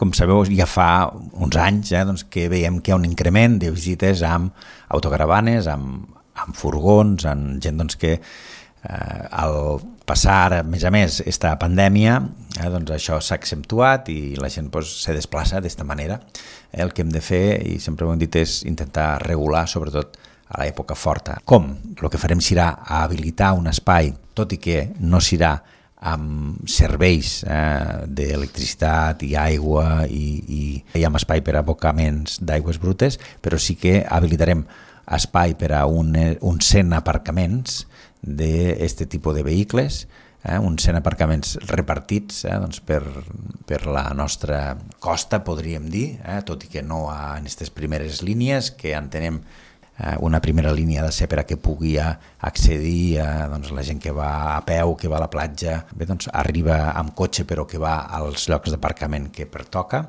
Com sabeu, ja fa uns anys doncs, que veiem que hi ha un increment de visites amb autocaravanes, amb furgons, amb gent doncs, que al passar, a més, esta pandèmia, doncs això s'ha accentuat i la gent se desplaça d'esta manera. El que hem de fer, i sempre ho hem dit, és intentar regular, sobretot a l'època forta. Com? El que farem serà habilitar un espai, tot i que no serà amb serveis d'electricitat i aigua i amb espai per a abocaments d'aigües brutes, però sí que habilitarem espai per a uns 100 aparcaments d'aquest tipus de vehicles, uns 100 aparcaments repartits doncs per la nostra costa, podríem dir, tot i que no en aquestes primeres línies, que entenem una primera línia ha de ser per a que pugui accedir doncs, la gent que va a peu, que va a la platja, bé, doncs, arriba amb cotxe però que va als llocs d'aparcament que pertoca.